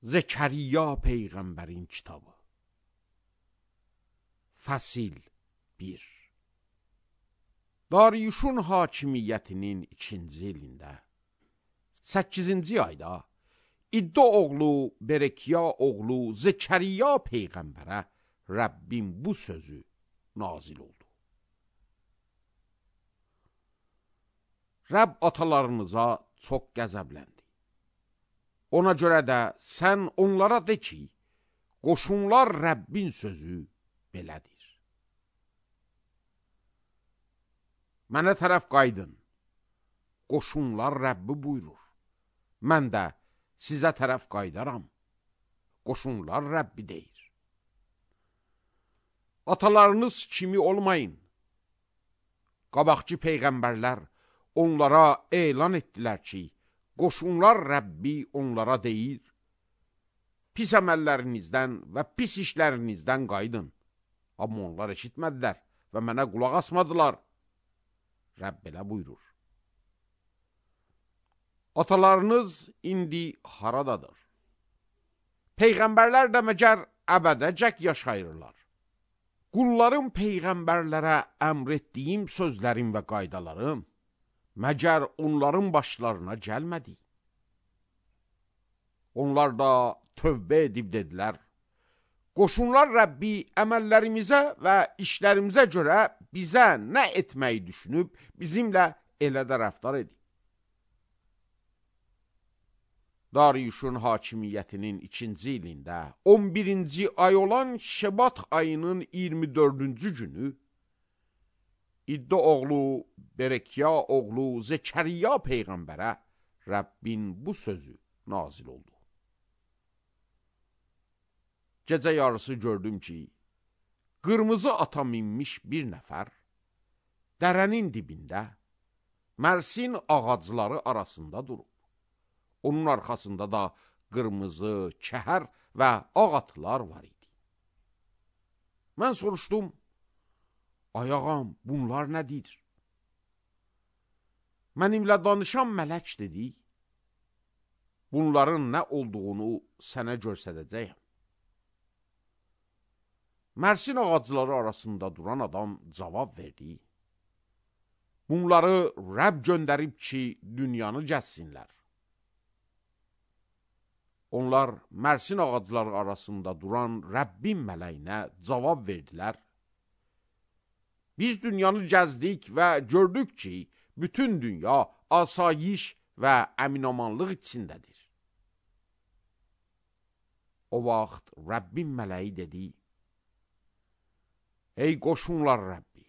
Zekeriya Peyğəmbərin kitabı. Fəsil 1. Dariyuşun hakimiyyətinin 2-ci ilində 8-ci ayda İddo oğlu Berekiya oğlu Zekeriya Peyğəmbərə Rəbbin bu sözü nazil oldu. Rəbb atalarınıza çox qəzəbləndi. Ona görə də sən onlara de ki, qoşunlar Rəbbin sözü belədir. Mənə tərəf qaydın, qoşunlar Rəbbi buyurur. Mən də sizə tərəf qaydaram, qoşunlar Rəbbi deyir. Atalarınız kimi olmayın. Qabaqçı peyğəmbərlər onlara elan etdilər ki, qoşunlar Rəbbi onlara deyir, pis əməllərinizdən və pis işlərinizdən qaydın. Amma onlar eşitmədilər və mənə qulaq asmadılar. Rəbb belə buyurur. Atalarınız indi haradadır? Peyğəmbərlər də məgər əbədəcək yaşayırlar. Qullarım peyğəmbərlərə əmr etdiyim sözlərim və qaydalarım məgər onların başlarına gəlmədi. Onlar da tövbə edib dedilər, qoşunlar Rəbbi əməllərimizə və işlərimizə görə bizə nə etməyi düşünüb, bizimlə elə də rəftar edib. Dariyuşun hakimiyyətinin 2-ci ilində 11-ci ay olan Şebat ayının 24-cü günü İddo oğlu Berekiya oğlu Zekeriya Peyğəmbərə Rəbbin bu sözü nazil oldu. Gecə yarısı gördüm ki, qırmızı ata minmiş bir nəfər dərənin dibində Mərsin ağacları arasında durub. Onun arxasında da qırmızı, kəhər və ağ atlar var idi. Mən soruşdum, ay ağam, bunlar nədir? Mənimlə danışan mələk dedi, bunların nə olduğunu sənə göstərəcəyəm. Mərsin ağacları arasında duran adam cavab verdi, bunları Rəbb göndərib ki, dünyanı gəzsinlər. Onlar Mərsin ağacları arasında duran Rəbbin mələyinə cavab verdilər. Biz dünyanı gəzdik və gördük ki, bütün dünya asayiş və əminamanlıq içindədir. O vaxt Rəbbin mələyi dedi, ey qoşunlar Rəbbi,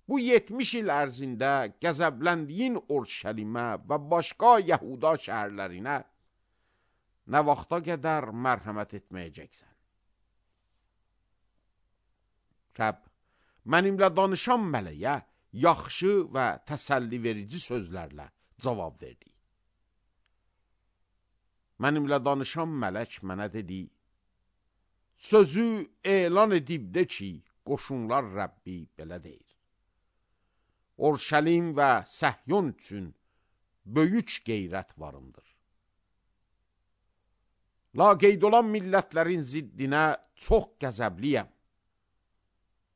bu 70 il ərzində qəzəbləndiyin Urşəlimə və başqa Yahuda şəhərlərinə nə vaxta qədər mərhəmət etməyəcəksən? Rəbb, mənimlə danışan mələyə yaxşı və təsəlli verici sözlərlə cavab verdi. Mənimlə danışan mələk mənə dedi, sözü elan edib de ki, qoşunlar Rəbbi belə deyir. Urşəlim və Səhyon üçün böyük qeyrət varımdır. Laqeyd olan millətlərin ziddinə çox qəzəbliyəm.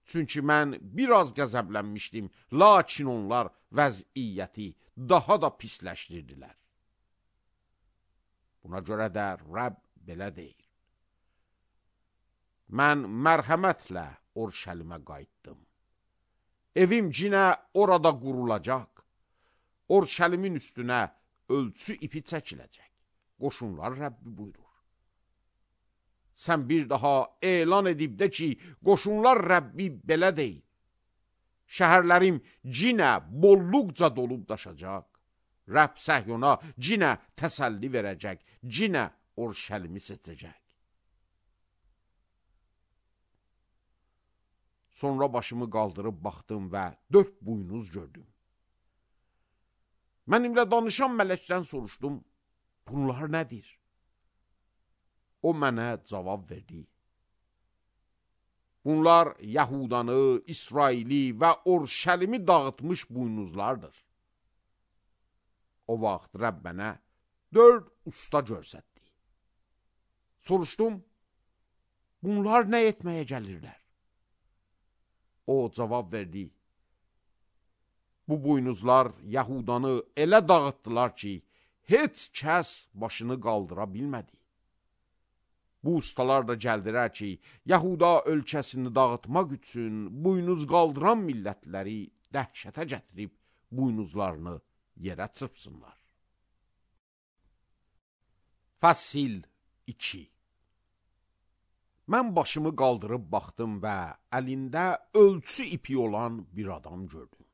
Çünki mən biraz qəzəblənmişdim, lakin onlar vəziyyəti daha da pisləşdirdilər. Buna görə də Rəbb belə deyir. Mən mərhəmətlə Urşəlimə qayıtdım. Evim cinə orada qurulacaq. Urşəlimin üstünə ölçü ipi çəkiləcək. Qoşunlar Rəbbi buyurur. Sən bir daha elan edib de ki, qoşunlar Rəbbi belə deyil. Şəhərlərim cinə bolluqca dolub daşacaq. Rəbb Səhyona cinə təsəlli verəcək, cinə Urşəlimi seçəcək. Sonra başımı qaldırıb baxdım və 4 buynuz gördüm. Mənimlə danışan mələkdən soruşdum, bunlar nədir? O mənə cavab verdi. Bunlar Yahudanı, İsraili və Urşəlimi dağıtmış buynuzlardır. O vaxt Rəbb mənə 4 usta görsətdi. Soruşdum, bunlar nə etməyə gəlirlər? O cavab verdi, bu buynuzlar Yahudanı elə dağıtdılar ki, heç kəs başını qaldıra bilmədi. Bu ustalar da gəldilər ki, Yahuda ölkəsini dağıtmaq üçün buynuz qaldıran millətləri dəhşətə gətirib buynuzlarını yerə çırpsınlar. Fəsil 2. Mən başımı qaldırıb baxdım və əlində ölçü ipi olan bir adam gördüm.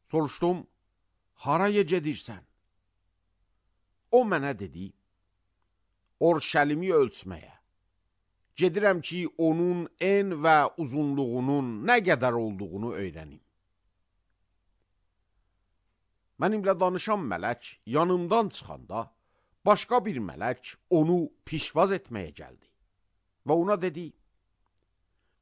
Soruşdum, haraya gedirsən? O mənə dedi, Orşəlimi ölçməyə. Gedirəm ki, onun en və uzunluğunun nə qədər olduğunu öyrənim. Mənimlə danışan mələk yanımdan çıxanda, başqa bir mələk onu pişvaz etməyə gəldi. Və ona dedi,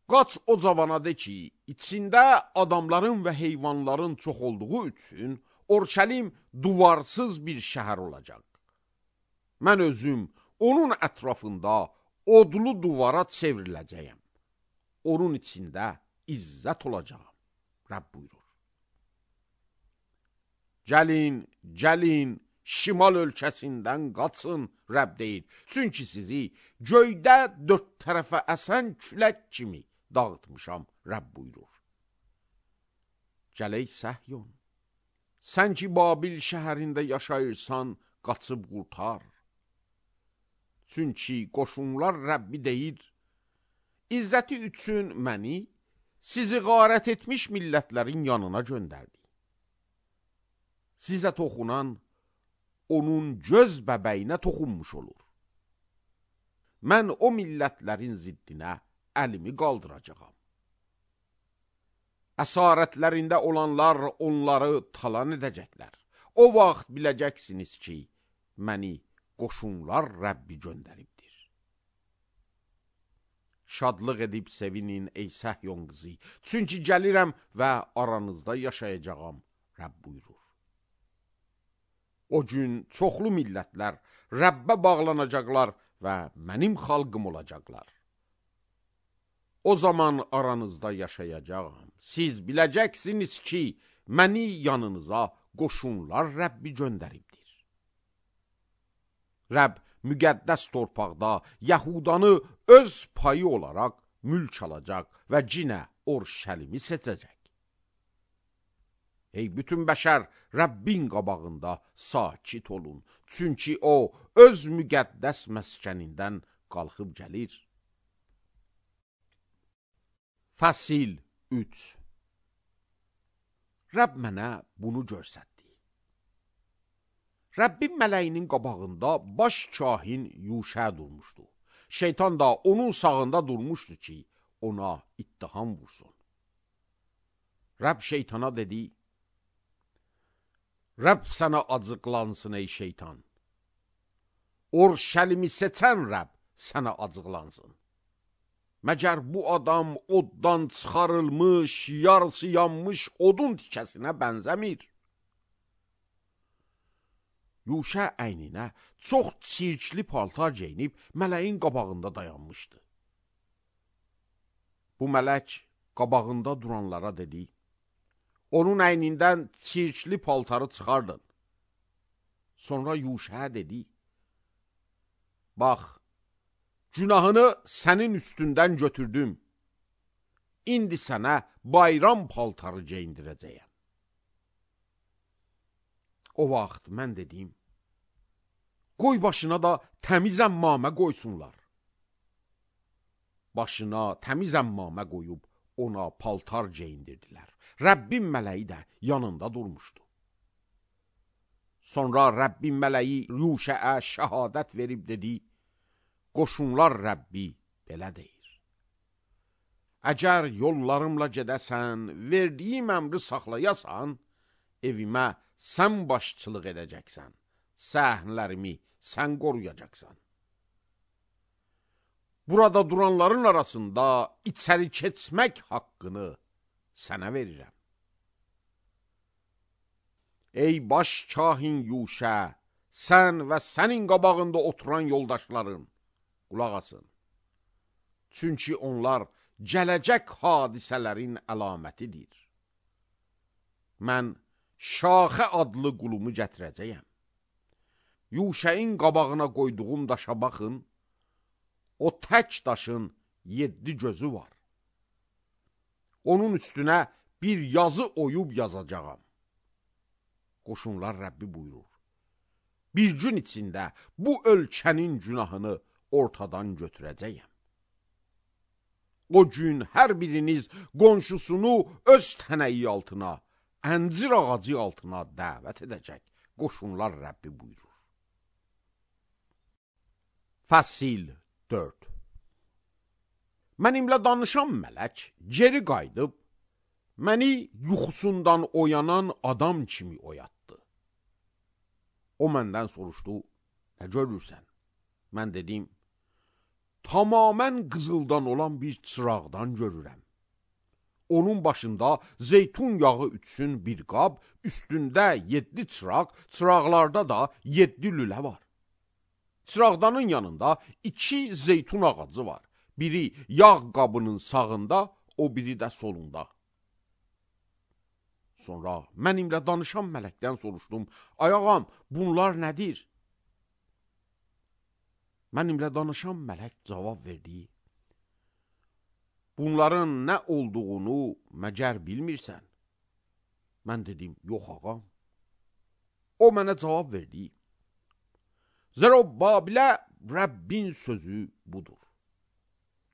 qaç o cavana de ki, içində adamların və heyvanların çox olduğu üçün Orşəlim duvarsız bir şəhər olacaq. Mən özüm onun ətrafında odlu duvara çevriləcəyəm. Onun içində izzət olacağım. Rəbb buyurur. Gəlin, şimal ölkəsindən qaçın, Rəbb deyir. Çünki sizi göydə dörd tərəfə əsən külək kimi dağıtmışam, Rəbb buyurur. Gələk Səhyon, sən ki Babil şəhərində yaşayırsan, qaçıb qurtar. Çünki qoşunlar Rəbbi deyir, İzzəti üçün məni sizi qarət etmiş millətlərin yanına göndərdi. Sizə toxunan onun göz bəbəyinə toxunmuş olur. Mən o millətlərin ziddinə əlimi qaldıracağam. Əsarətlərində olanlar onları talan edəcəklər. O vaxt biləcəksiniz ki, məni qoşunlar Rəbbi göndəribdir. Şadlıq edib sevinin ey Səhyon qızı, çünki gəlirəm və aranızda yaşayacağam, Rəbb buyurur. O gün çoxlu millətlər Rəbbə bağlanacaqlar və mənim xalqım olacaqlar. O zaman aranızda yaşayacağam. Siz biləcəksiniz ki, məni yanınıza qoşunlar Rəbbi göndəribdir. Rəbb müqəddəs torpaqda Yahudanı öz payı olaraq mülk alacaq və cinə Orşəlimi seçəcək. Ey bütün bəşər, Rəbbin qabağında sakit olun, çünki o öz müqəddəs məskənindən qalxıb gəlir. Fəsil 3. Rəbb mənə bunu göstərdi. Rəbbin mələyinin qabağında baş kahin Yuşə durmuşdu. Şeytan da onun sağında durmuşdu ki, ona ittiham vursun. Rəbb şeytana dedi, Rəbb sənə acıqlansın ey şeytan. Orşəlimi seçən Rəbb sənə acıqlansın. Məgər bu adam oddan çıxarılmış, yarısı yanmış odun tikəsinə bənzəmir. Yuşə əyninə çox çirkli paltar geyinib mələyin qabağında dayanmışdı. Bu mələk qabağında duranlara dedi, onun əynindən çirkli paltarı çıxardın. Sonra Yuşə dedi, bax, günahını sənin üstündən götürdüm. İndi sənə bayram paltarı geyindirəcəyəm. O vaxt mən dedim, qoy başına da təmiz əmmamə qoysunlar. Başına təmiz əmmamə qoyub ona paltar geyindirdilər. Rəbbin mələyi də yanında durmuşdu. Sonra Rəbbin mələyi Yuşəə şəhadət verib dedi, qoşunlar Rəbbi belə deyir. Əgər yollarımla gedəsən, verdiyim əmri saxlayasan, evimə sən başçılıq edəcəksən, səhnlərimi sən qoruyacaqsan. Burada duranların arasında içəri keçmək haqqını sənə verirəm. Ey baş kahin Yuşə, sən və sənin qabağında oturan yoldaşların, qulaq asın. Çünki onlar gələcək hadisələrin əlamətidir. Mən Şaxə adlı qulumu gətirəcəyəm. Yuşəyin qabağına qoyduğum daşa baxın, o tək daşın 7 gözü var. Onun üstünə bir yazı oyub yazacağam. Qoşunlar Rəbbi buyurur. Bir gün içində bu ölkənin günahını ortadan götürəcəyəm. O gün hər biriniz qonşusunu öz tənəyi altına, əncir ağacı altına dəvət edəcək. Qoşunlar Rəbbi buyurur. Fəsil 4. Mənimlə danışan mələk geri qayıdıb, məni yuxusundan oyanan adam kimi oyatdı. O məndən soruşdu, nə görürsən? Mən dedim, tamamən qızıldan olan bir çıraqdan görürəm. Onun başında zeytun yağı ütsün bir qab, üstündə 7 çıraq, çıraqlarda da 7 lülə var. Çıraqdanın yanında 2 zeytun ağacı var. Biri yağ qabının sağında, o biri də solunda. Sonra mənimlə danışan mələkdən soruşdum, ay ağam, bunlar nədir? Mənimlə danışan mələk cavab verdi, bunların nə olduğunu məgər bilmirsən? Mən dedim, yox ağam. O mənə cavab verdi, Zərobbabilə Rəbbin sözü budur.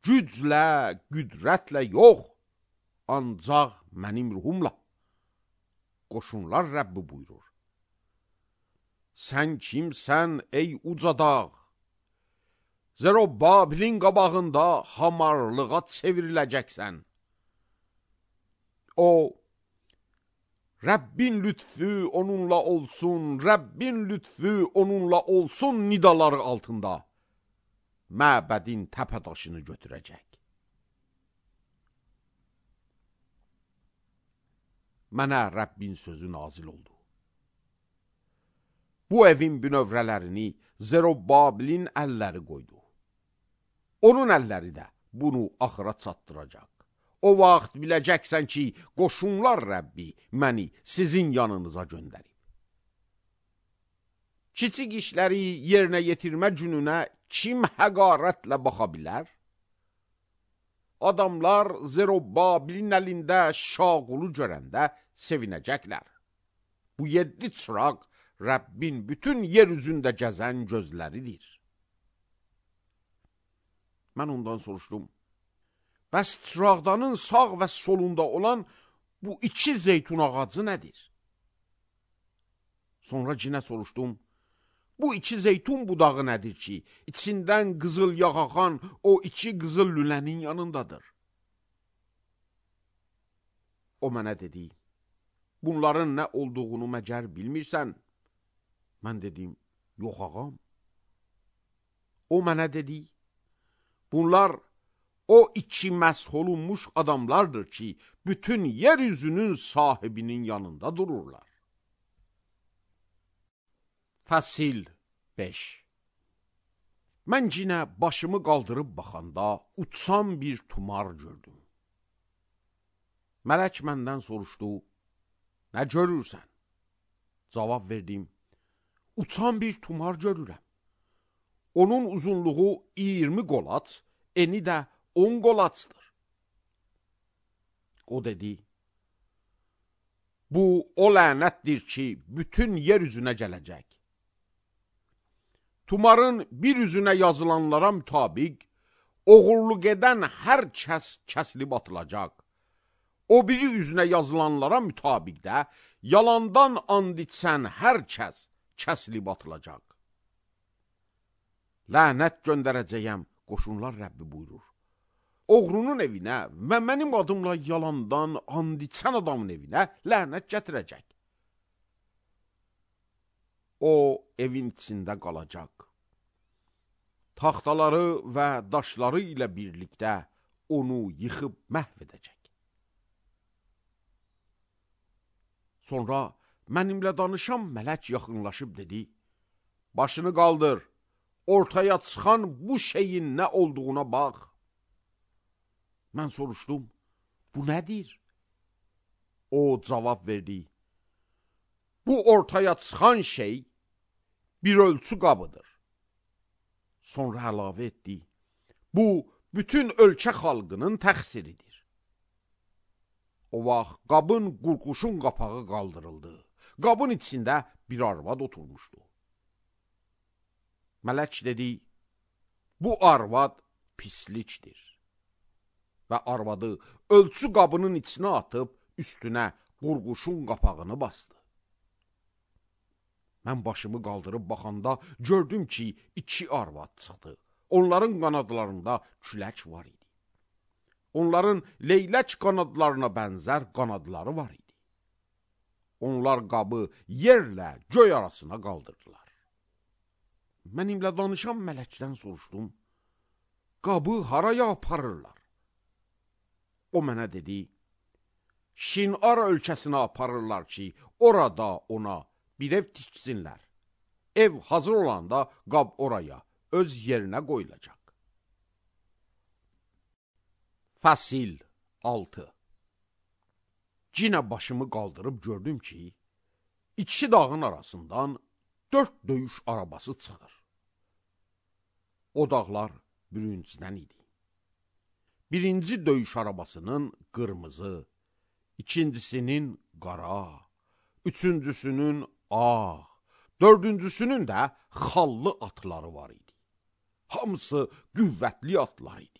Güclə, qüdrətlə yox, ancaq mənim ruhumla. Qoşunlar Rəbbi buyurur. Sən kimsən ey uca dağ? Zərobbabilin qabağında hamarlığa çevriləcəksən. O, Rəbbin lütfü onunla olsun, Rəbbin lütfü onunla olsun nidaları altında məbədin təpədaşını götürəcək. Mənə Rəbbin sözü nazil oldu. Bu evin bünövrələrini Zərobbabilin əlləri qoydu. Onun əlləri də bunu axıra çatdıracaq. O vaxt biləcəksən ki, qoşunlar Rəbbi məni sizin yanınıza göndərib. Kiçik işləri yerinə yetirmə gününə kim həqarətlə baxa bilər? Adamlar Zərobbabilin əlində şaqulu görəndə sevinəcəklər. Bu 7 çıraq Rəbbin bütün yer üzündə gəzən gözləridir. Mən ondan soruşdum, bəs çıraqdanın sağ və solunda olan bu 2 zeytun ağacı nədir? Sonra cinə soruşdum, bu 2 zeytun budağı nədir ki, içindən qızıl yağ axan o 2 qızıl lülənin yanındadır? O mənə dedi, bunların nə olduğunu məgər bilmirsən? Mən dedim, yox ağam. O mənə dedi, bunlar o 2 məsh olunmuş adamlardır ki, bütün yeryüzünün sahibinin yanında dururlar. Fəsil 5. Mən yenə başımı qaldırıb baxanda uçan bir tumar gördüm. Mələk məndən soruşdu, nə görürsən? Cavab verdim, uçan bir tumar görürəm. Onun uzunluğu 20 qolaç, eni də 10 qolaçdır. O dedi, bu o lənətdir ki, bütün yer üzünə gələcək. Tumarın bir üzünə yazılanlara mütabiq, oğurluq edən hər kəs kəsilib atılacaq. O biri üzünə yazılanlara mütabiq də, yalandan and içsən hər kəs kəsilib atılacaq. Lənət göndərəcəyəm, qoşunlar Rəbbi buyurur. Oğrunun evinə və mənim adımla yalandan and içən adamın evinə lənət gətirəcək. O evin içində qalacaq. Taxtaları və daşları ilə birlikdə onu yıxıb məhv edəcək. Sonra mənimlə danışan mələk yaxınlaşıb dedi, başını qaldır, ortaya çıxan bu şeyin nə olduğuna bax. Mən soruşdum, bu nədir? O cavab verdi, bu ortaya çıxan şey bir ölçü qabıdır. Sonra əlavə etdi, bu bütün ölkə xalqının təqsiridir. O vaxt qabın qurquşun qapağı qaldırıldı. Qabın içində bir arvad oturmuşdu. Mələk dedi, bu arvad pislikdir. Və arvadı ölçü qabının içine atıb üstünə qurquşun qapağını bastı. Mən başımı qaldırıb baxanda gördüm ki, 2 arvad çıxdı. Onların qanadlarında külək var idi. Onların leylək qanadlarına bənzər qanadları var idi. Onlar qabı yerlə göy arasına qaldırdılar. Mənimlə danışan mələkdən soruşdum, qabı haraya aparırlar? O mənə dedi, Şinar ölkəsinə aparırlar ki, orada ona bir ev tiksinlər. Ev hazır olanda qab oraya, öz yerinə qoyulacaq. Fəsil 6. Cinə başımı qaldırıb gördüm ki, 2 dağın arasından 4 döyüş arabası çıxır. O dağlar bürüncüdən idi. Birinci döyüş arabasının qırmızı, ikincisinin qara, üçüncüsünün ağ, dördüncüsünün də xallı atları var idi. Hamısı qüvvətli atlar idi.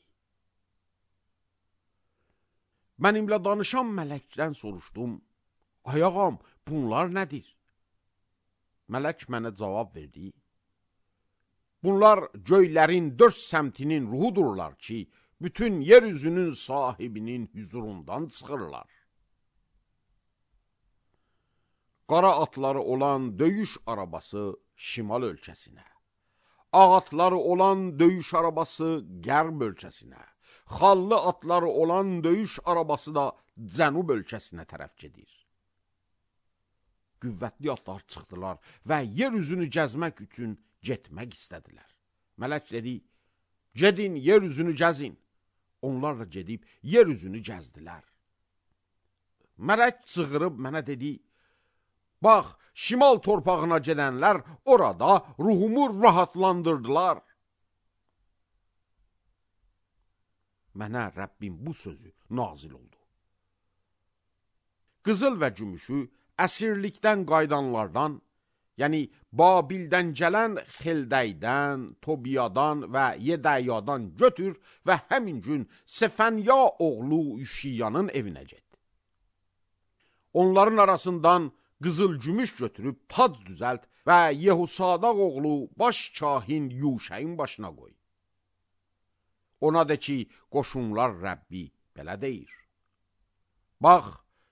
Mənimlə danışan mələkdən soruşdum, ay ağam, bunlar nədir? Mələk mənə cavab verdi, bunlar göylərin 4 səmtinin ruhudurlar ki, bütün yeryüzünün sahibinin huzurundan çıxırlar. Qara atları olan döyüş arabası şimal ölkəsinə, ağ atları olan döyüş arabası qərb ölkəsinə, xallı atları olan döyüş arabası da cənub ölkəsinə tərəf gedir. Qüvvətli atlar çıxdılar və yeryüzünü gəzmək üçün getmək istədilər. Mələk dedi, gedin yeryüzünü gəzin. Onlar da gedib yeryüzünü gəzdilər. Mələk çığırıb mənə dedi, bax, şimal torpağına gedənlər orada ruhumu rahatlandırdılar. Mənə Rəbbim bu sözü nazil oldu. Qızıl və gümüşü əsirlikdən qaydanlardan, yəni Babildən gələn Xildəydən, Tobiyadan və Yedəyadan götür və həmin gün Sefənya oğlu Üşiyanın evinə get. Onların arasından qızıl gümüş götürüb tac düzəlt və Yehusadaq oğlu baş kahin Yuşəyin başına qoy. Ona de ki, qoşunlar Rəbbi belə deyir. Bax,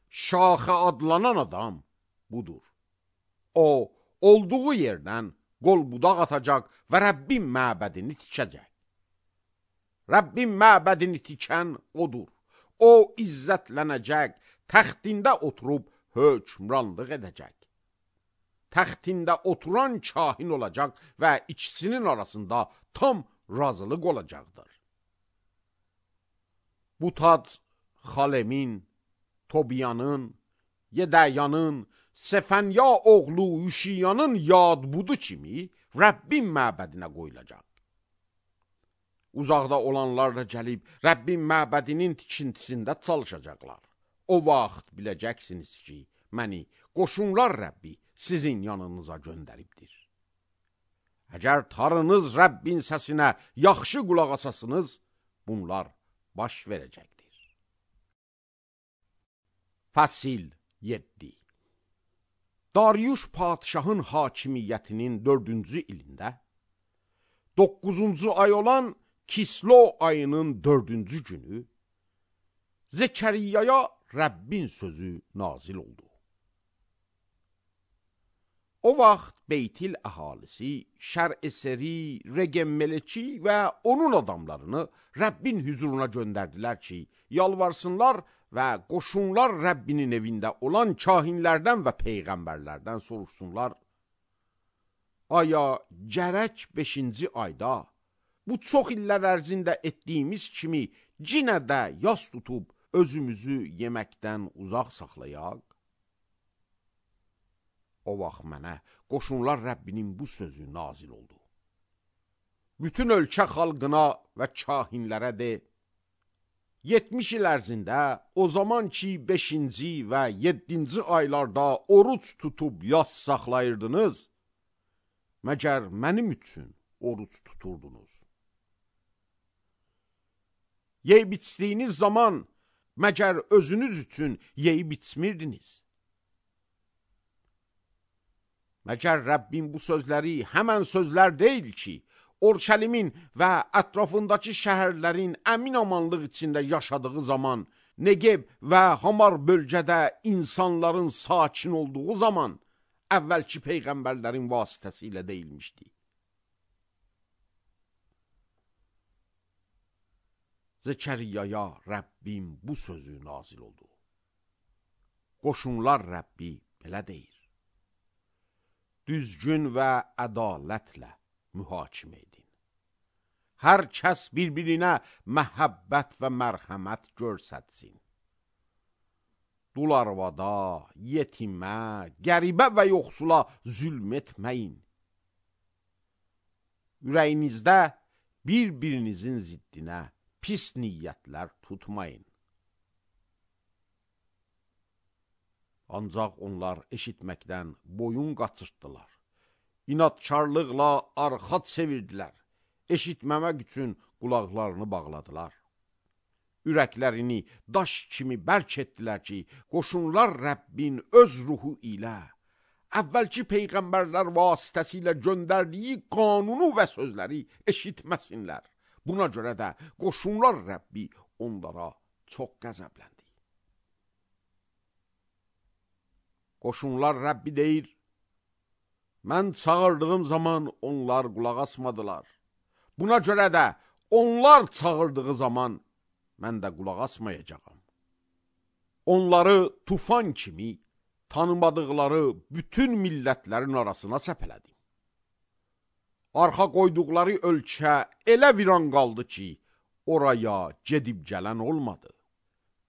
Şaxə adlanan adam budur. O, olduğu yerdən qol budaq atacaq və Rəbbin məbədini tikəcək. Rəbbin məbədini tikən odur. O, izzətlənəcək, təxtində oturub hökmranlıq edəcək. Təxtində oturan kahin olacaq və ikisinin arasında tam razılıq olacaqdır. Bu tac Xalemin, Tobiyanın, Yedəyanın, Sefənya oğlu Üşiyanın yad budu kimi Rəbbin məbədinə qoyulacaq. Uzaqda olanlar da gəlib Rəbbin məbədinin tikintisində çalışacaqlar. O vaxt biləcəksiniz ki, məni qoşunlar Rəbbi sizin yanınıza göndəribdir. Əgər tarınız Rəbbin səsinə yaxşı qulaq asasınız, bunlar baş verəcəkdir. Fəsil 7. Dariuş padişahın hakimiyyətinin 4-cü ilində, 9-cu ay olan Kislo ayının 4-cü günü Zəkəriyaya Rəbbin sözü nazil oldu. O vaxt Beytil əhalisi, Şər-Eseri, Regem-Meleki və onun adamlarını Rəbbin huzuruna göndərdilər ki, yalvarsınlar və qoşunlar Rəbbinin evində olan kahinlərdən və peyğəmbərlərdən soruşsunlar. aya gərək 5-ci ayda bu çox illər ərzində etdiyimiz kimi cinə də yas tutub özümüzü yeməkdən uzaq saxlayaq? O vaxt mənə Qoşunlar Rəbbinin bu sözü nazil oldu. Bütün ölkə xalqına və kahinlərə de, 70 il ərzində o zaman ki 5-ci və 7-ci aylarda oruç tutub yas saxlayırdınız, məgər mənim üçün oruç tuturdunuz. Yeyib içdiyiniz zaman məgər özünüz üçün yeyib içmirdiniz. Məgər Rəbbin bu sözləri həmən sözlər deyil ki, Orşəlimin və ətrafındakı şəhərlərin əmin amanlıq içində yaşadığı zaman, Negev və Hamar bölgədə insanların sakin olduğu zaman, əvvəlki peyğəmbərlərin vasitəsilə deyilmişdi. Zəkəriyaya Rəbbim bu sözü nazil oldu. Qoşunlar Rəbbi belə deyir. Düzgün və ədalətlə mühakimə edin. Hər kəs bir-birinə məhəbbət və mərhəmət görsətsin. Dul arvada, yetimə, qəribə və yoxsula zülm etməyin. Ürəyinizdə bir-birinizin ziddinə pis niyyətlər tutmayın. Ancaq onlar eşitməkdən boyun qaçırtdılar. İnadkarlıqla arxa çevirdilər. Eşitməmək üçün qulaqlarını bağladılar. Ürəklərini daş kimi bərk etdilər ki, Qoşunlar Rəbbin öz ruhu ilə, əvvəlki peyğəmbərlər vasitəsilə göndərdiyi qanunu və sözləri eşitməsinlər. Buna görə də Qoşunlar Rəbbi onlara çox qəzəbləndi. Qoşunlar Rəbbi deyir, mən çağırdığım zaman onlar qulaq asmadılar. Buna görə də onlar çağırdığı zaman mən də qulaq asmayacağam. Onları tufan kimi tanımadıqları bütün millətlərin arasına səpələdim. Arxa qoyduqları ölkə elə viran qaldı ki, oraya gedib gələn olmadı.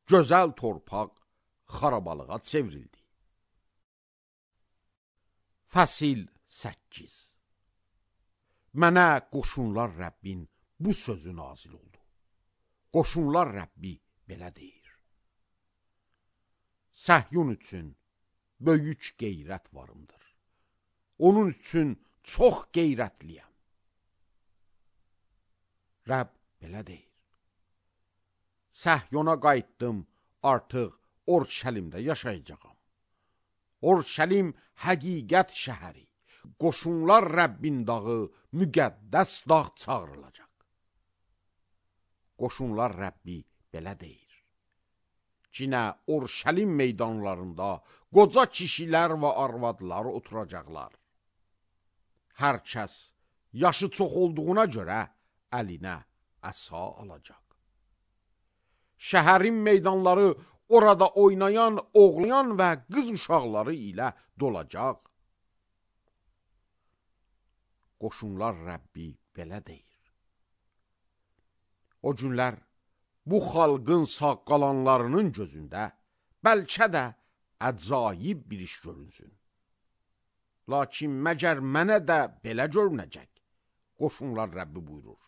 Gözəl torpaq xarabalığa çevrildi. Fəsil 8. Mənə Qoşunlar Rəbbin bu sözü nazil oldu. Qoşunlar Rəbbi belə deyir. Səhyun üçün böyük qeyrət varımdır. Onun üçün çox qeyrətliyəm. Rəbb belə deyir. Səhyona qayıtdım, artıq Orşəlimdə yaşayacağam. Orşəlim həqiqət şəhəri, Qoşunlar Rəbbin dağı, müqəddəs dağ çağırılacaq. Qoşunlar Rəbbi belə deyir. Cinə Orşəlim meydanlarında qoca kişilər və arvadlar oturacaqlar. Hər kəs yaşı çox olduğuna görə əlinə əsa alacaq. Şəhərin meydanları orada oynayan, oğlayan və qız uşaqları ilə dolacaq. Qoşunlar Rəbbi belə deyir. O günlər bu xalqın sağ qalanlarının gözündə bəlkə də əcaib bir iş görünsün. Lakin məgər mənə də belə görünəcək, Qoşunlar Rəbbi buyurur.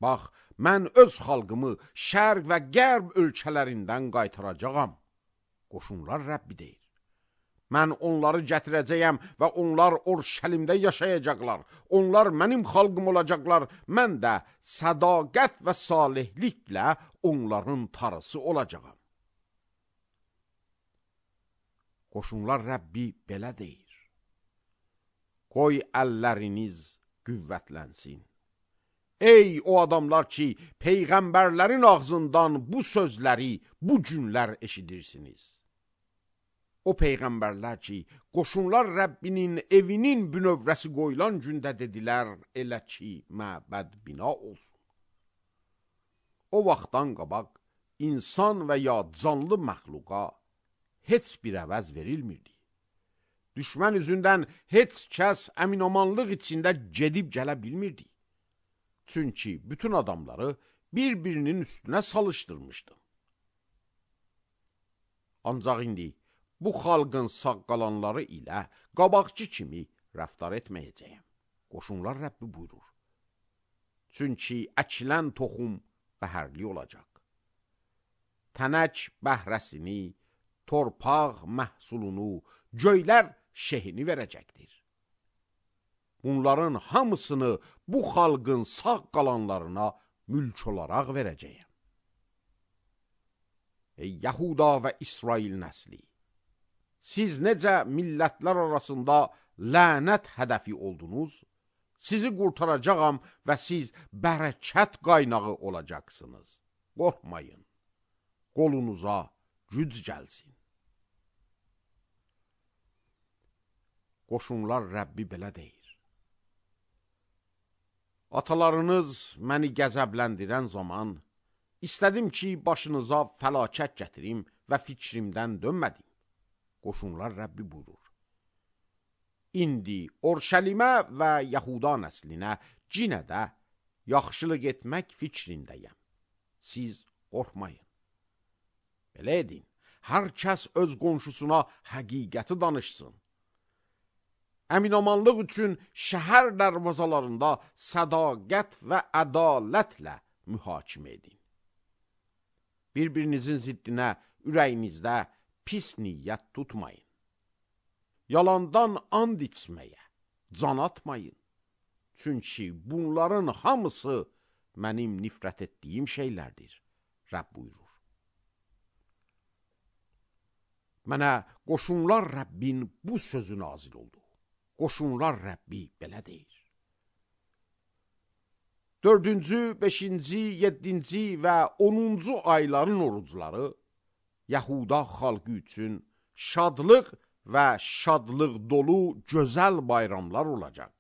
Bax, mən öz xalqımı şərq və qərb ölkələrindən qaytaracağam. Qoşunlar Rəbbi deyir. Mən onları gətirəcəyəm və onlar Orşəlimdə yaşayacaqlar. Onlar mənim xalqım olacaqlar. Mən də sədaqət və salihliklə onların tarısı olacağam. Qoşunlar Rəbbi belə deyir. Qoy əlləriniz qüvvətlənsin. Ey o adamlar ki, peyğəmbərlərin ağzından bu sözləri bu günlər eşidirsiniz. O peyğəmbərlər ki, Qoşunlar Rəbbinin evinin bünövrəsi qoyulan gündə dedilər, elə ki, məbəd bina olsun. O vaxtdan qabaq insan və ya canlı məxluqa heç bir əvəz verilmirdi. Düşmən üzündən heç kəs əminamanlıq içində gedib gələ bilmirdi. Çünki bütün adamları bir-birinin üstünə salışdırmışdı. Ancaq indi bu xalqın sağ qalanları ilə qabaqçı kimi rəftar etməyəcəyəm. Qoşunlar Rəbbi buyurur. Çünki əkilən toxum bəhərli olacaq. Tənək bəhrəsini, torpaq məhsulunu, göylər şehini verəcəkdir. Bunların hamısını bu xalqın sağ qalanlarına mülk olaraq verəcəyəm. Ey Yahuda və İsrail nəsli! Siz necə millətlər arasında lənət hədəfi oldunuz, sizi qurtaracağam və siz bərəkət qaynağı olacaqsınız. Qorxmayın, qolunuza güc gəlsin. Qoşunlar Rəbbi belə deyir. Atalarınız məni qəzəbləndirən zaman, istədim ki, başınıza fəlakət gətirim və fikrimdən dönmədim. Qoşunlar Rəbbi buyurur. İndi Orşəlimə və Yahuda nəslinə cinə də yaxşılıq etmək fikrindəyəm. Siz qorxmayın. Belə edin, hər kəs öz qonşusuna həqiqəti danışsın. Əminamanlıq üçün şəhər dərvazalarında sədaqət və ədalətlə mühakimə edin. Bir-birinizin ziddinə ürəyinizdə pis niyyət tutmayın. Yalandan and içməyə can atmayın. Çünki bunların hamısı mənim nifrət etdiyim şeylərdir, Rəbb buyurur. Mənə qoşunlar Rəbbin bu sözü nazil oldu. Qoşunlar Rəbbi belə deyir. 4-cü, 5-ci, 7-ci və 10-cu ayların orucları Yahuda xalqı üçün şadlıq və şadlıq dolu gözəl bayramlar olacaq.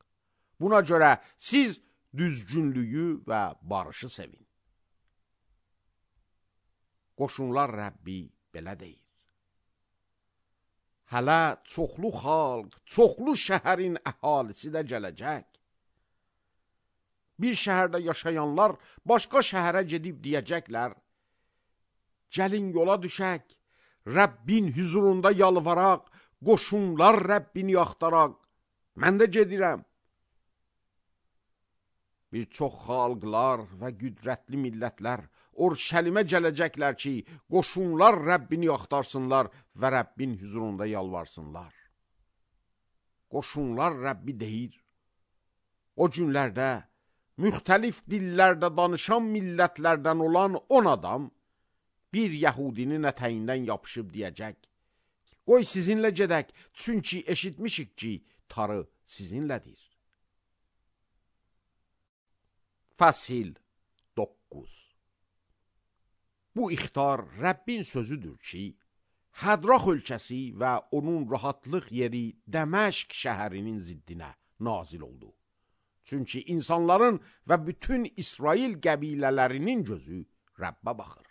Buna görə siz düzgünlüyü və barışı sevin. Qoşunlar Rəbbi belə deyir. Hələ çoxlu xalq, çoxlu şəhərin əhalisi də gələcək. Bir şəhərdə yaşayanlar başqa şəhərə gedib deyəcəklər, gəlin yola düşək, Rəbbin huzurunda yalvaraq, qoşunlar Rəbbini axtaraq, mən də gedirəm. Bir çox xalqlar və qüdrətli millətlər Orşəlimə gələcəklər ki, qoşunlar Rəbbini axtarsınlar və Rəbbin huzurunda yalvarsınlar. Qoşunlar Rəbbi deyir, o günlərdə müxtəlif dillərdə danışan millətlərdən olan 10 adam bir Yəhudinin ətəyindən yapışıb deyəcək, qoy sizinlə gedək, çünki eşitmişik ki, tarı sizinlədir. Fəsil 9. Bu ixtar Rəbbin sözüdür ki, Hədrax ölkəsi və onun rahatlıq yeri Dəməşq şəhərinin ziddinə nazil oldu. Çünki insanların və bütün İsrail qəbilələrinin gözü Rəbbə baxır.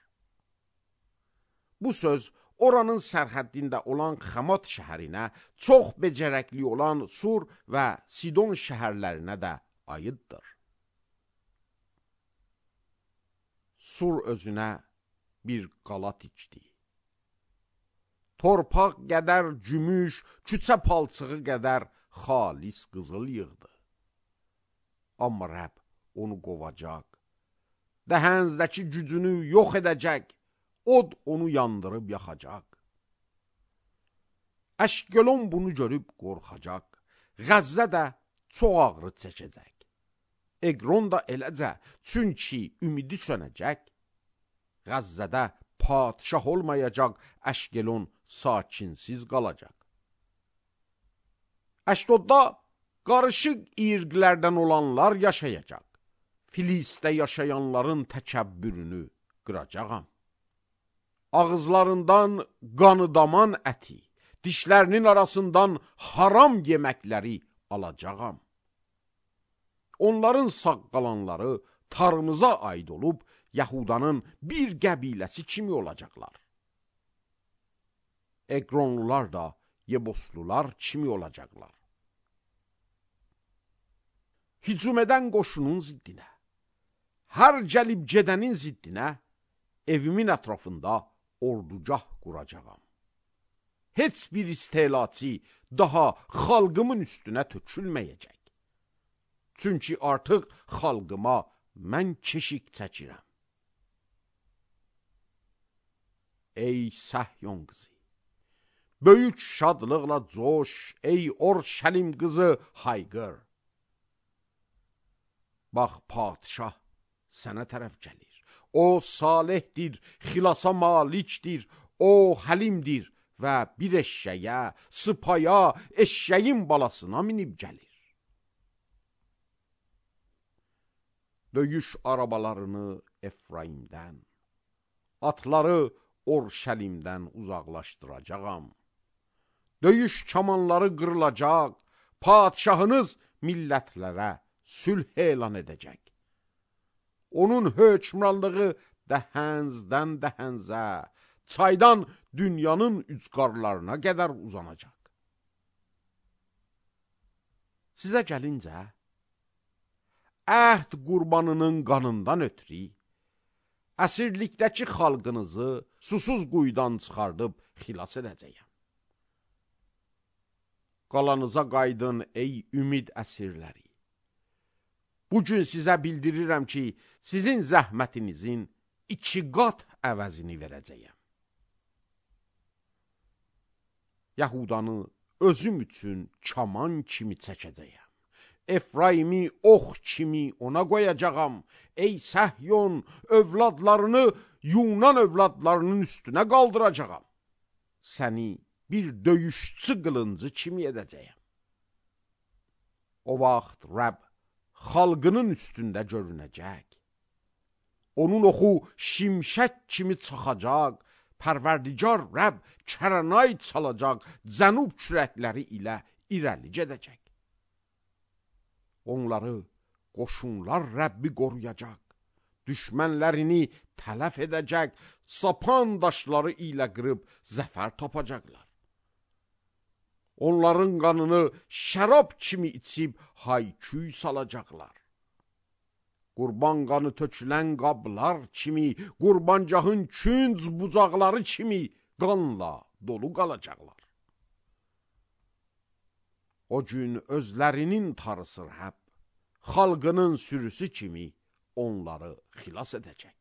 Bu söz oranın sərhəddində olan Xamat şəhərinə, çox becərəkli olan Sur və Sidon şəhərlərinə də aiddir. Sur özünə bir qala tikdi. Torpaq qədər gümüş, küçə palçığı qədər xalis qızıl yığdı. Amma Rəbb onu qovacaq, dəhənizdəki gücünü yox edəcək, od onu yandırıb yaxacaq. Əşkelon bunu görüb qorxacaq, Qəzzə də çox ağrı çəkəcək. Eqron da eləcə, çünki ümidi sönəcək. Qəzzədə padişah olmayacaq, Əşkelon sakinsiz qalacaq. Əşdodda qarışıq irqlərdən olanlar yaşayacaq. Filistdə yaşayanların təkəbbürünü qıracağam. Ağızlarından qanıdaman əti, dişlərinin arasından haram yeməkləri alacağam. Onların sağ qalanları tarımıza aid olub, Yahudanın bir qəbiləsi kimi olacaqlar. Eqronlular da Yebuslular kimi olacaqlar? Hücum edən qoşunun ziddinə, hər gəlib gedənin ziddinə, evimin ətrafında ordugah quracağam. Heç bir istelatçı daha xalqımın üstünə tökülməyəcək. Çünki artıq xalqıma mən keşik çəkirəm. Ey Səhyon qızı, böyük şadlıqla coş, ey Orşəlim qızı hayqır. Bax, padişah sənə tərəf gəlir. O salihdir, xilasa malikdir, o həlimdir və bir eşşəyə, sıpaya, eşşəyin balasına minib gəlir. Döyüş arabalarını Efraimdən, atları Orşəlimdən uzaqlaşdıracağam. Döyüş kamanları qırılacaq, padişahınız millətlərə sülh elan edəcək. Onun hökmranlığı dəhənzdən dəhənzə, çaydan dünyanın ucqarlarına qədər uzanacaq. Sizə gəlincə, əhd qurbanının qanından ötürü, əsirlikdəki xalqınızı susuz quyudan çıxardıb xilas edəcəyəm. Qalanıza qaydın ey ümid əsirləri. Bugün sizə bildirirəm ki, sizin zəhmətinizin 2 qat əvəzini verəcəyəm. Yahudanı özüm üçün kaman kimi çəkəcəyəm. Efraimi ox kimi ona qoyacağam. Ey Səhyon, övladlarını Yunan övladlarının üstünə qaldıracağam. Səni bir döyüşçü qılıncı kimi edəcəyəm. O vaxt Rəbb xalqının üstündə görünəcək. Onun oxu şimşək kimi çaxacaq, Pərverdigar Rəbb kərənay çalacaq, cənub kürəkləri ilə irəli gedəcək. Onları qoşunlar Rəbbi qoruyacaq, düşmənlərini tələf edəcək, sapan daşları ilə qırıb zəfər tapacaqlar. Onların qanını şərab kimi içib hay-küy salacaqlar. Qurban qanı tökülən qablar kimi, qurbancahın künc bucaqları kimi qanla dolu qalacaqlar. O gün özlərinin tarısı Rəbb, xalqının sürüsü kimi onları xilas edəcək.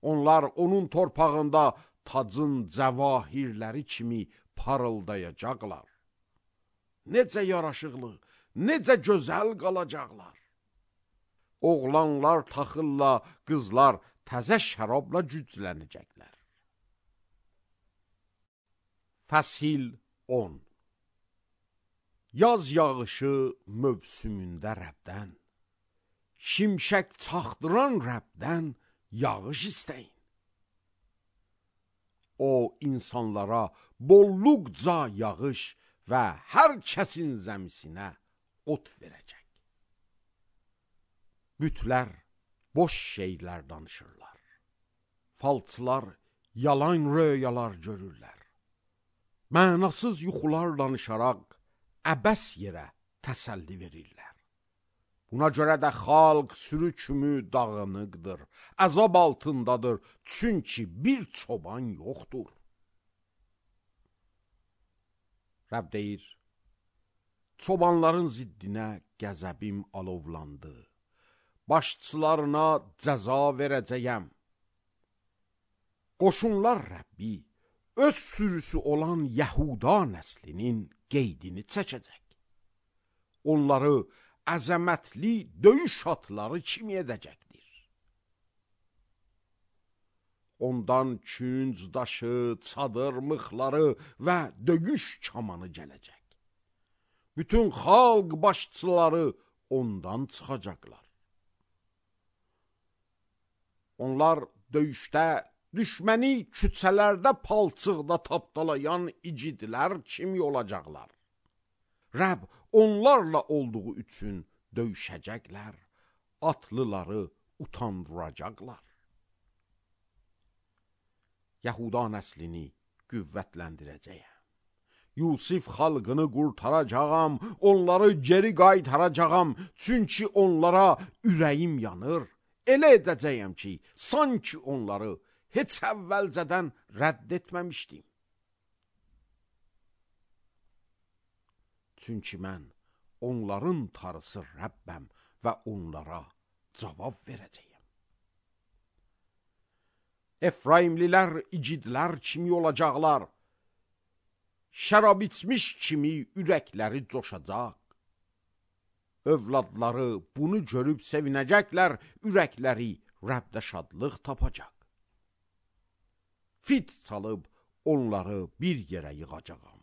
Onlar onun torpağında tacın cəvahirləri kimi parıldayacaqlar. Necə yaraşıqlı, necə gözəl qalacaqlar. Oğlanlar taxılla, qızlar təzə şərabla güclənəcəklər. Fəsil 10. Yaz yağışı mövsümündə Rəbdən, şimşək çaxdıran Rəbdən yağış istəyin. O insanlara bolluqca yağış və hər kəsin zəmisinə ot verəcək. Bütlər boş şeylər danışırlar. Falçılar yalan röyalar görürlər. Mənasız yuxular danışaraq əbəs yerə təsəlli verirlər. Buna görə də xalq sürü kimi dağınıqdır, əzab altındadır, çünki bir çoban yoxdur. Rəbb deyir, çobanların ziddinə qəzəbim alovlandı, başçılarına cəza verəcəyəm. Qoşunlar Rəbbi öz sürüsü olan Yahuda nəslinin qeydini çəkəcək. Onları əzəmətli döyüş atları kimi edəcəkdir. Ondan künc daşı, çadır mıxları və döyüş kamanı gələcək. Bütün xalq başçıları ondan çıxacaqlar. Onlar döyüşdə düşməni küçələrdə palçıqda tapdalayan icidlər kimi olacaqlar. Rəbb onlarla olduğu üçün döyüşəcəklər, atlıları utandıracaqlar. Yahuda nəslini qüvvətləndirəcəyəm. Yusif xalqını qurtaracağam, onları geri qaytaracağam, çünki onlara ürəyim yanır. Elə edəcəyəm ki, sanki onları heç əvvəlcədən rədd etməmişdim. Çünki mən onların tarısı Rəbbəm və onlara cavab verəcəyəm. Efraimlilər igidlər kimi olacaqlar. Şərab içmiş kimi ürəkləri coşacaq. Övladları bunu görüb sevinəcəklər, ürəkləri Rəbdə şadlıq tapacaq. Fit çalıb onları bir yerə yığacağam.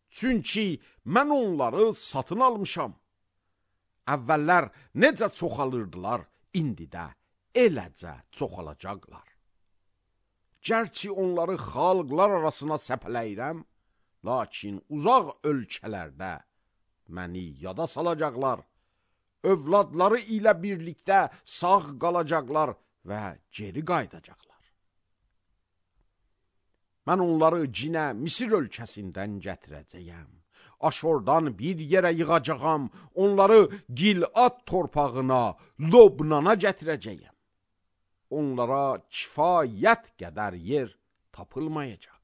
Çünki mən onları satın almışam. Əvvəllər necə çoxalırdılar, indi də eləcə çoxalacaqlar. Gərçi onları xalqlar arasına səpələyirəm, lakin uzaq ölkələrdə məni yada salacaqlar. Övladları ilə birlikdə sağ qalacaqlar və geri qayıdacaqlar. Mən onları cinə Misir ölkəsindən gətirəcəyəm. Aşordan bir yerə yığacağam, onları Gilad torpağına, Lobnana gətirəcəyəm. Onlara kifayət qədər yer tapılmayacaq.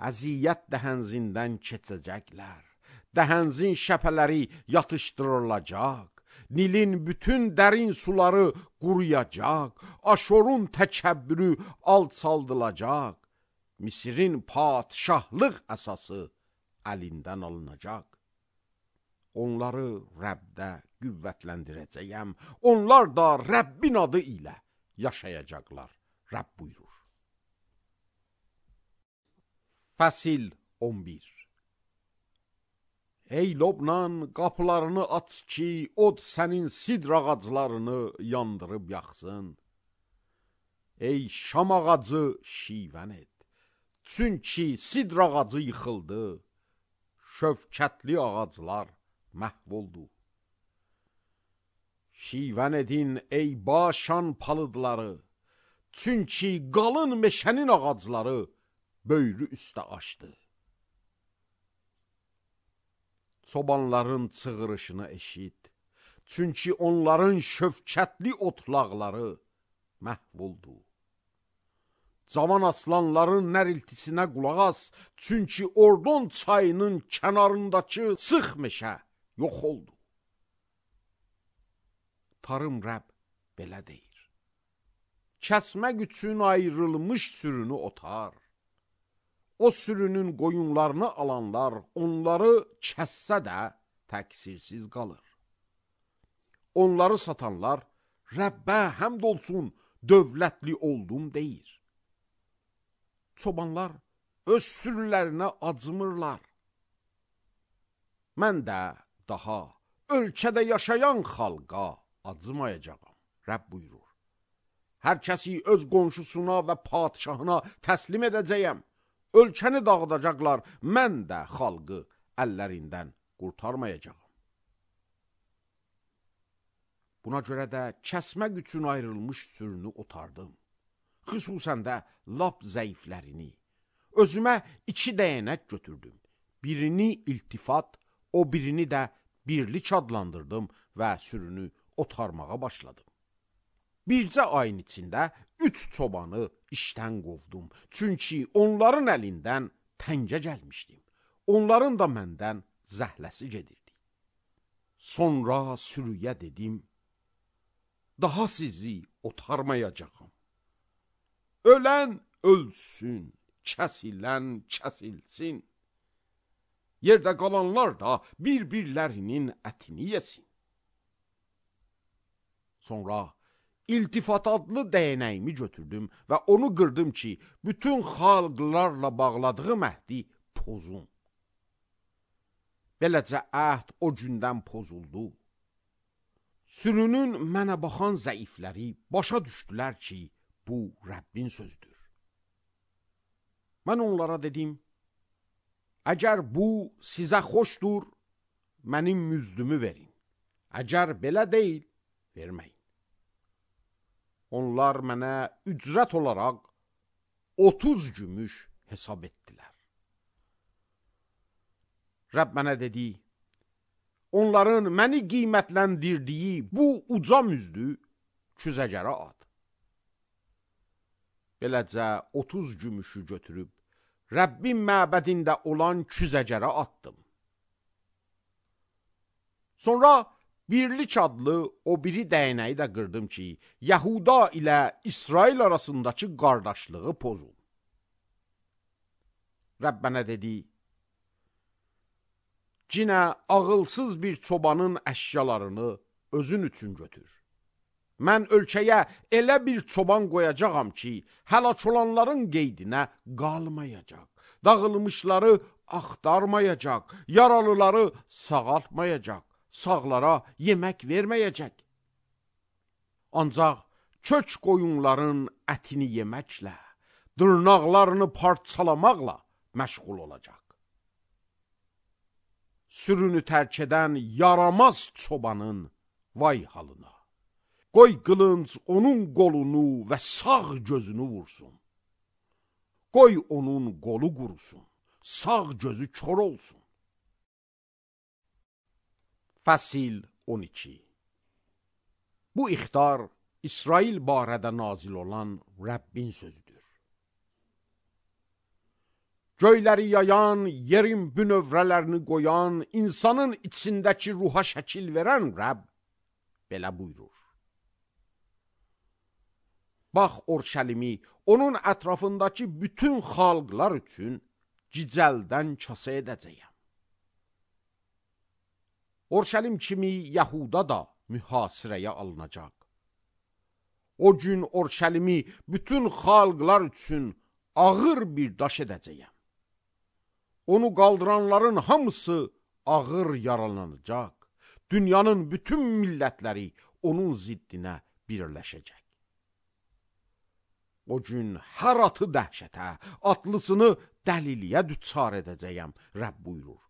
Əziyyət dəhənzindən keçəcəklər. Dəhənzin şəpələri yatışdırılacaq. Nilin bütün dərin suları quruyacaq. Aşorun təkəbbürü alçaldılacaq. Misirin padşahlıq əsası əlindən alınacaq. Onları Rəbdə qüvvətləndirəcəyəm. Onlar da Rəbbin adı ilə yaşayacaqlar. Rəbb buyurur. Fəsil 11. Ey Lobnan, qapılarını aç ki, od sənin sidr ağaclarını yandırıb yaxsın. Ey şam ağacı, şivən et. Çünki sidr ağacı yıxıldı, şövkətli ağaclar məhv oldu. Şivən edin, ey Başan palıdları, çünki qalın meşənin ağacları böyrü üstə açdı. Çobanların çığırışını eşit, çünki onların şövkətli otlaqları məhv oldu. Cavan aslanların nəriltisinə qulaq as, çünki Ordon çayının kənarındakı sıx meşə yox oldu. Tarım Rəbb belə deyir. Kəsmək üçün ayrılmış sürünü otar. O sürünün qoyunlarını alanlar onları kəssə də təqsirsiz qalır. Onları satanlar Rəbbə həmd olsun, dövlətli oldum deyir. Çobanlar öz sürülərinə acımırlar. Mən də daha ölkədə yaşayan xalqa acımayacağam, Rəbb buyurur. Hər kəsi öz qonşusuna və padşahına təslim edəcəyəm. Ölkəni dağıdacaqlar, mən də xalqı əllərindən qurtarmayacağam. Buna görə də kəsmək üçün ayrılmış sürünü otardım. Xüsusən də lap zəiflərini. Özümə 2 dəyənək götürdüm. Birini iltifat, o birini də birlik adlandırdım və sürünü otarmağa başladım. Bircə ayın içində 3 çobanı işdən qovdum. Çünki onların əlindən təngə gəlmişdim. Onların da məndən zəhləsi gedirdi. Sonra sürüyə dedim, daha sizi otarmayacağım. Ölən ölsün, kəsilən kəsilsin. Yerdə qalanlar da bir-birlərinin ətini yesin. Sonra İltifat adlı dəyənəyimi götürdüm və onu qırdım ki, bütün xalqlarla bağladığım əhdi pozum. Beləcə əhd o gündən pozuldu. Sürünün mənə baxan zəifləri başa düşdülər ki, bu Rəbbin sözdür. Mən onlara dedim, əgər bu sizə xoşdur, mənim müzdümü verin. Əgər belə deyil, verməyin. Onlar mənə ücrət olaraq 30 gümüş hesab etdilər. Rəbb mənə dedi, onların məni qiymətləndirdiyi bu uca müzdü küzəcərə at. Beləcə 30 gümüşü götürüb, Rəbbin məbədində olan küzəcərə atdım. Sonra birlik adlı o biri dəyənəyi də qırdım ki, Yahuda ilə İsrail arasındakı qardaşlığı pozul. Rəbb mənə dedi, cinə ağılsız bir çobanın əşyalarını özün üçün götür. Mən ölkəyə elə bir çoban qoyacağam ki, həlak olanların qeydinə qalmayacaq, dağılmışları axtarmayacaq, yaralıları sağaltmayacaq, sağlara yemək verməyəcək. Ancaq kök qoyunların ətini yeməklə, dırnaqlarını parçalamaqla məşğul olacaq. Sürünü tərk edən yaramaz çobanın vay halına. Qoy qılınc onun qolunu və sağ gözünü vursun. Qoy onun qolu qurusun, sağ gözü kör olsun. Fəsil 12. Bu ixtar İsrail barədə nazil olan Rəbbin sözüdür. Göyləri yayan, yerin bünövrələrini qoyan, insanın içindəki ruha şəkil verən Rəbb belə buyurur. Bax, Orşəlimi, onun ətrafındakı bütün xalqlar üçün gicəldən kasa edəcəyəm. Orşəlim kimi Yahuda da mühasirəyə alınacaq. O gün Orşəlimi bütün xalqlar üçün ağır bir daş edəcəyəm. Onu qaldıranların hamısı ağır yaralanacaq. Dünyanın bütün millətləri onun ziddinə birləşəcək. O gün hər atı dəhşətə, atlısını dəliliyə düçar edəcəyəm, Rəbb buyurur.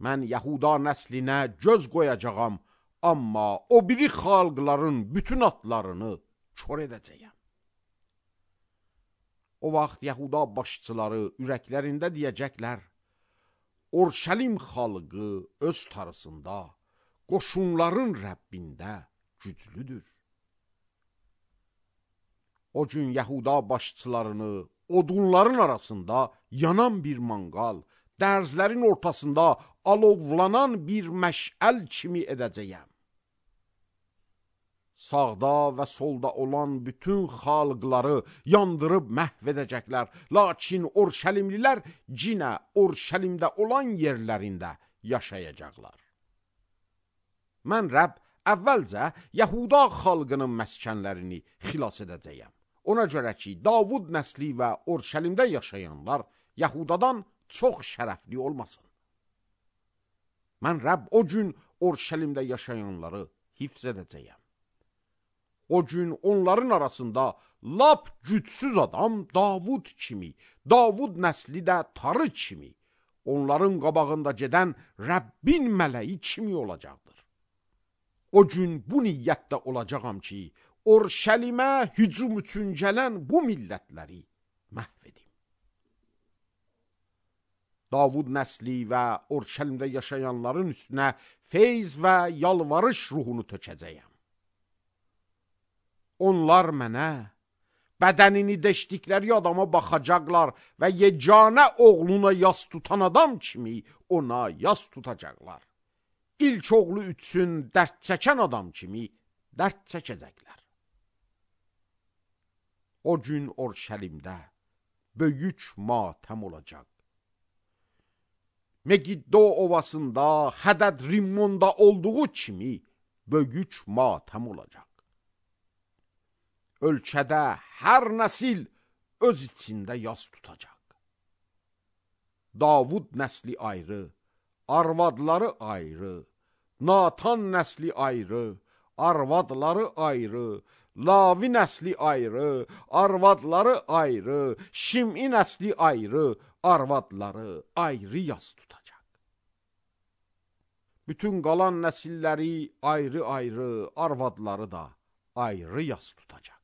Mən Yahuda nəslinə göz qoyacağam, amma o biri xalqların bütün atlarını kör edəcəyəm. O vaxt Yahuda başçıları ürəklərində deyəcəklər, Orşəlim xalqı öz tarısında, qoşunların Rəbbində güclüdür. O gün Yahuda başçılarını odunların arasında yanan bir manqal, dərzlərin ortasında alovlanan bir məşəl kimi edəcəyəm. Sağda və solda olan bütün xalqları yandırıb məhv edəcəklər, lakin Orşəlimlilər cinə Orşəlimdə olan yerlərində yaşayacaqlar. Mən Rəbb əvvəlcə Yahuda xalqının məskənlərini xilas edəcəyəm. Ona görə ki, Davud nəsli və Orşəlimdə yaşayanlar Yahudadan çox şərəfli olmasın. Mən Rəbb o gün Orşəlimdə yaşayanları hifz edəcəyəm. O gün onların arasında lap gücsüz adam Davud kimi, Davud nəsli də tarı kimi, onların qabağında gedən Rəbbin mələyi kimi olacaqdır. O gün bu niyyətdə olacağam ki, Orşəlimə hücum üçün gələn bu millətləri məhv edim. Davud nəsli və Orşəlimdə yaşayanların üstünə feyz və yalvarış ruhunu tökəcəyəm. Onlar mənə, bədənini deşdikləri adama baxacaqlar və yeganə oğluna yas tutan adam kimi ona yas tutacaqlar. İlk oğlu üçün dərd çəkən adam kimi dərd çəkəcəklər. O gün Orşəlimdə böyük matəm olacaq. Megiddo ovasında, Hədəd Rimmonda olduğu kimi böyük matəm olacaq. Ölkədə hər nəsil öz içində yas tutacaq. Davud nəsli ayrı, arvadları ayrı, Natan nəsli ayrı, arvadları ayrı, Lavi nəsli ayrı, arvadları ayrı, Şim'i nəsli ayrı, arvadları ayrı yas tutacaq. Bütün qalan nəsilləri ayrı-ayrı, arvadları da ayrı yas tutacaq.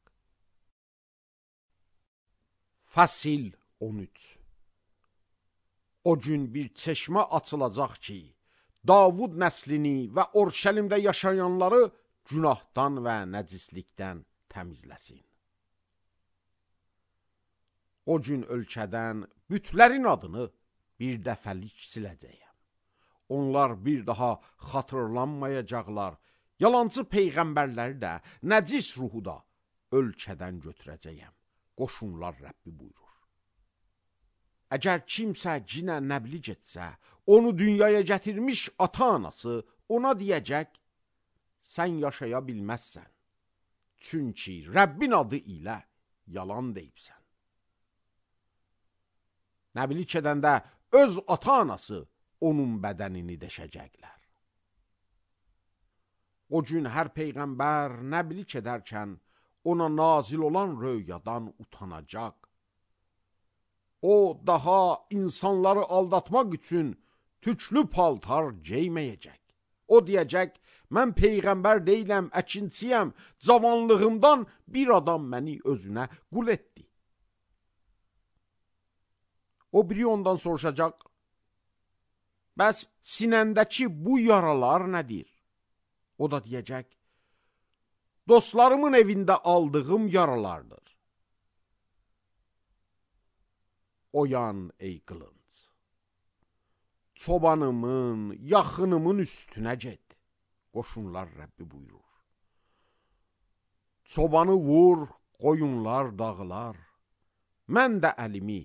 Fəsil 13. O gün bir çeşmə açılacaq ki, Davud nəslini və Orşəlimdə yaşayanları günahdan və nəcislikdən təmizləsin. O gün ölkədən bütlərin adını bir dəfəlik siləcəyəm. Onlar bir daha xatırlanmayacaqlar. Yalancı peyğəmbərləri də, nəcis ruhu da ölkədən götürəcəyəm. Qoşunlar Rəbbi buyurur. Əgər kimsə cinə nəbli getsə, onu dünyaya gətirmiş ata-anası ona deyəcək, sən yaşaya bilməzsən. Çünki Rəbbin adı ilə yalan deyibsən. Nəblik edəndə öz ata-anası onun bədənini deşəcəklər. O gün hər peyğəmbər nəblik edərkən ona nazil olan röyadan utanacaq. O daha insanları aldatmaq üçün tüklü paltar geyməyəcək. O deyəcək, mən peyğəmbər deyiləm, əkinçiyəm, cavanlığımdan bir adam məni özünə qul etdi. O biri ondan soruşacaq, bəs sinəndəki bu yaralar nədir? O da deyəcək, dostlarımın evində aldığım yaralardır. Oyan ey qılınc, çobanımın, yaxınımın üstünə get, qoşunlar Rəbbi buyurur. Çobanı vur, qoyunlar dağılar, mən də əlimi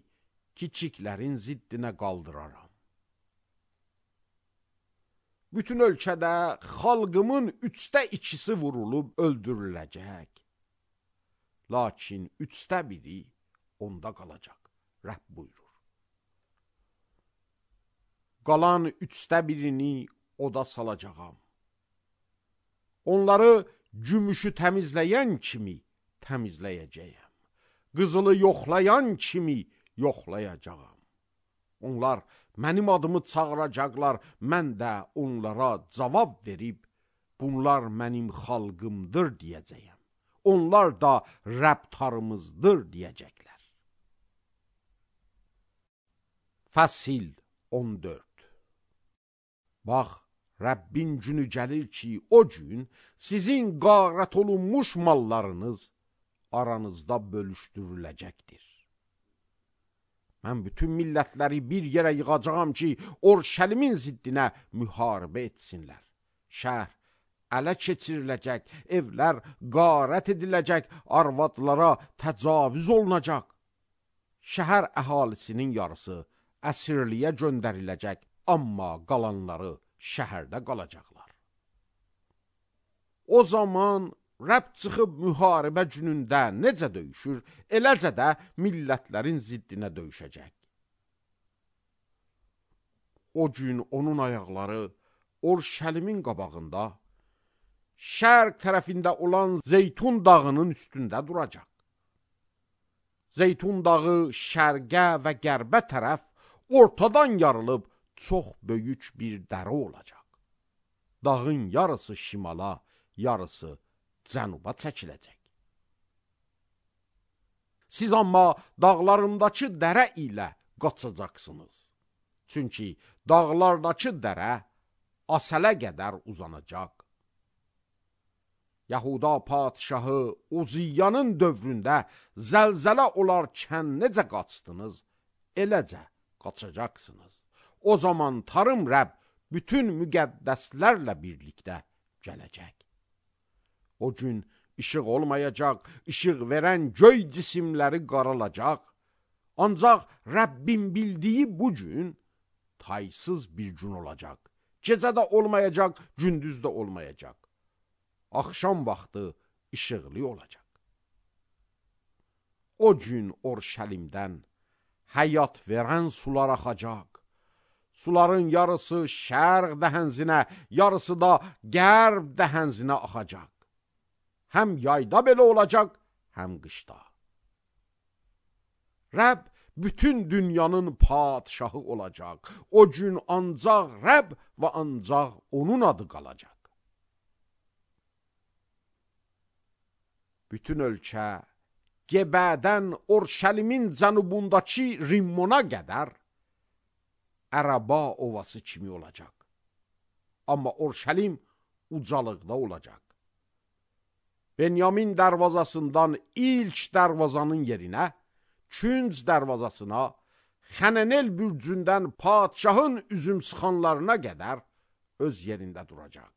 kiçiklərin ziddinə qaldıraram. Bütün ölkədə xalqımın 2/3 vurulub öldürüləcək. Lakin 1/3 onda qalacaq, Rəbb buyurur. Qalan 1/3 oda salacağam. Onları gümüşü təmizləyən kimi təmizləyəcəyəm. Qızılı yoxlayan kimi yoxlayacağam. Onlar mənim adımı çağıracaqlar, mən də onlara cavab verib, bunlar mənim xalqımdır deyəcəyəm. Onlar da Rəbtarımızdır deyəcəklər. Fəsil 14. Bax, Rəbbin günü gəlir ki, o gün sizin qarət olunmuş mallarınız aranızda bölüşdürüləcəkdir. Mən bütün millətləri bir yerə yığacağam ki, Orşəlimin ziddinə müharibə etsinlər. Şəhər ələ keçiriləcək, evlər qarət ediləcək, arvadlara təcavüz olunacaq. Şəhər əhalisinin yarısı əsirliyə göndəriləcək, amma qalanları şəhərdə qalacaqlar. O zaman Rəbb çıxıb müharibə günündə necə döyüşür, eləcə də millətlərin ziddinə döyüşəcək. O gün onun ayaqları Orşəlimin qabağında, şərq tərəfində olan Zeytun dağının üstündə duracaq. Zeytun dağı şərqə və qərbə tərəf ortadan yarılıb çox böyük bir dərə olacaq. Dağın yarısı şimala, yarısı cənuba çəkiləcək. Siz amma dağlarımdakı dərə ilə qaçacaqsınız. Çünki dağlardakı dərə Asələ qədər uzanacaq. Yahuda padişahı Uziyyanın dövründə zəlzələ olarkən necə qaçdınız, eləcə qaçacaqsınız. O zaman Tarım Rəbb bütün müqəddəslərlə birlikdə gələcək. O gün işıq olmayacaq, işıq verən göy cisimləri qaralacaq. Ancaq Rəbbin bildiyi bu gün taysız bir gün olacaq. Gecə də olmayacaq, gündüz də olmayacaq. Axşam vaxtı işıqlı olacaq. O gün Orşəlimdən həyat verən sular axacaq. Suların yarısı şərq dəhənzinə, yarısı da qərb dəhənzinə axacaq. Həm yayda belə olacaq, həm qışda. Rəbb bütün dünyanın padişahı olacaq. O gün ancaq Rəbb və ancaq onun adı qalacaq. Bütün ölkə Gebədən Orşəlimin cənubundakı Rimmona qədər Ərəba ovası kimi olacaq. Amma Orşəlim ucalıqda olacaq. Benyamin dərvazasından ilk dərvazanın yerinə, Künc dərvazasına, Xənənel bürcündən padşahın üzüm sıxanlarına qədər öz yerində duracaq.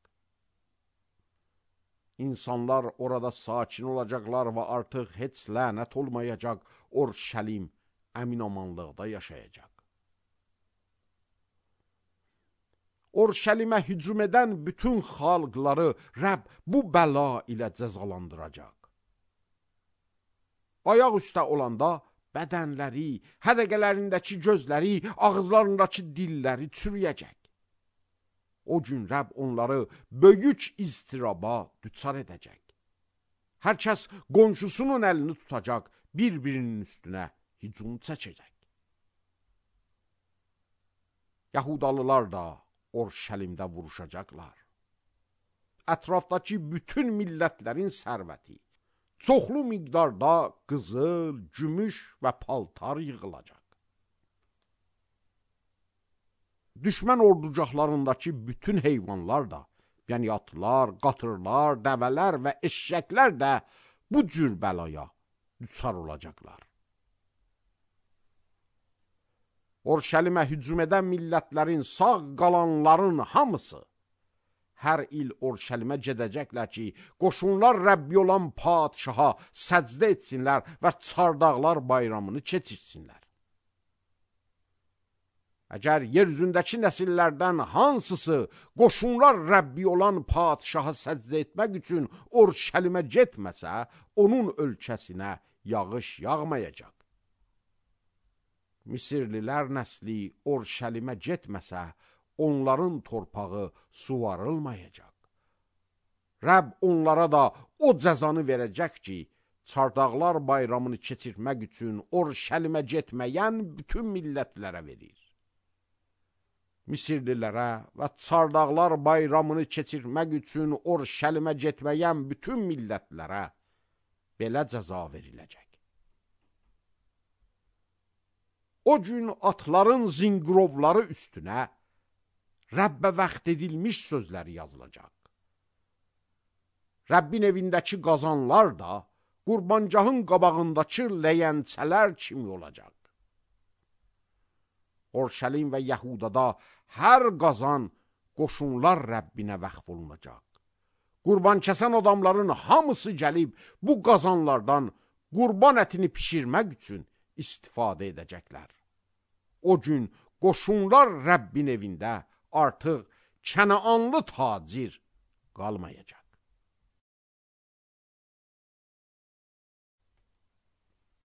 İnsanlar orada sakin olacaqlar və artıq heç lənət olmayacaq, Orşəlim əminamanlıqda yaşayacaq. Orşəlimə hücum edən bütün xalqları Rəbb bu bəla ilə cəzalandıracaq. Ayaq üstə olanda bədənləri, hədəqələrindəki gözləri, ağızlarındakı dilləri çürüyəcək. O gün Rəbb onları böyük istiraba düçar edəcək. Hər kəs qonşusunun əlini tutacaq, bir-birinin üstünə hücum çəkəcək. Yahudalılar da Orşəlimdə vuruşacaqlar. Ətrafdakı bütün millətlərin sərvəti, çoxlu miqdarda qızıl, gümüş və paltar yığılacaq. Düşmən orducaqlarındakı bütün heyvanlar da, yəni atlar, qatırlar, dəvələr və eşşəklər də bu cür bəlaya düçar olacaqlar. Orşəlimə hücum edən millətlərin sağ qalanların hamısı hər il Orşəlimə gedəcəklər ki, qoşunlar Rəbbi olan padşaha səcdə etsinlər və çardaqlar bayramını keçirsinlər. Əgər yer üzündəki nəsillərdən hansısı qoşunlar Rəbbi olan padşaha səcdə etmək üçün Orşəlimə getməsə, onun ölkəsinə yağış yağmayacaq. Misirlilər nəsli Orşəlimə getməsə, onların torpağı suvarılmayacaq. Rəbb onlara da o cəzanı verəcək ki, çardaqlar bayramını keçirmək üçün Orşəlimə getməyən bütün millətlərə verir. Misirlilərə və çardaqlar bayramını keçirmək üçün Orşəlimə getməyən bütün millətlərə belə cəza veriləcək. O gün atların zinqrovları üstünə Rəbbə vaxt edilmiş sözləri yazılacaq. Rəbbin evindəki qazanlar da qurbancahın qabağındakı ləyənçələr kimi olacaq. Orşəlim və Yəhudada hər qazan qoşunlar Rəbbinə vəqf olunacaq. Qurban kəsən adamların hamısı gəlib bu qazanlardan qurban ətini pişirmək üçün istifadə edəcəklər. O gün qoşunlar Rəbbin evində artıq Kənaanlı tacir qalmayacaq.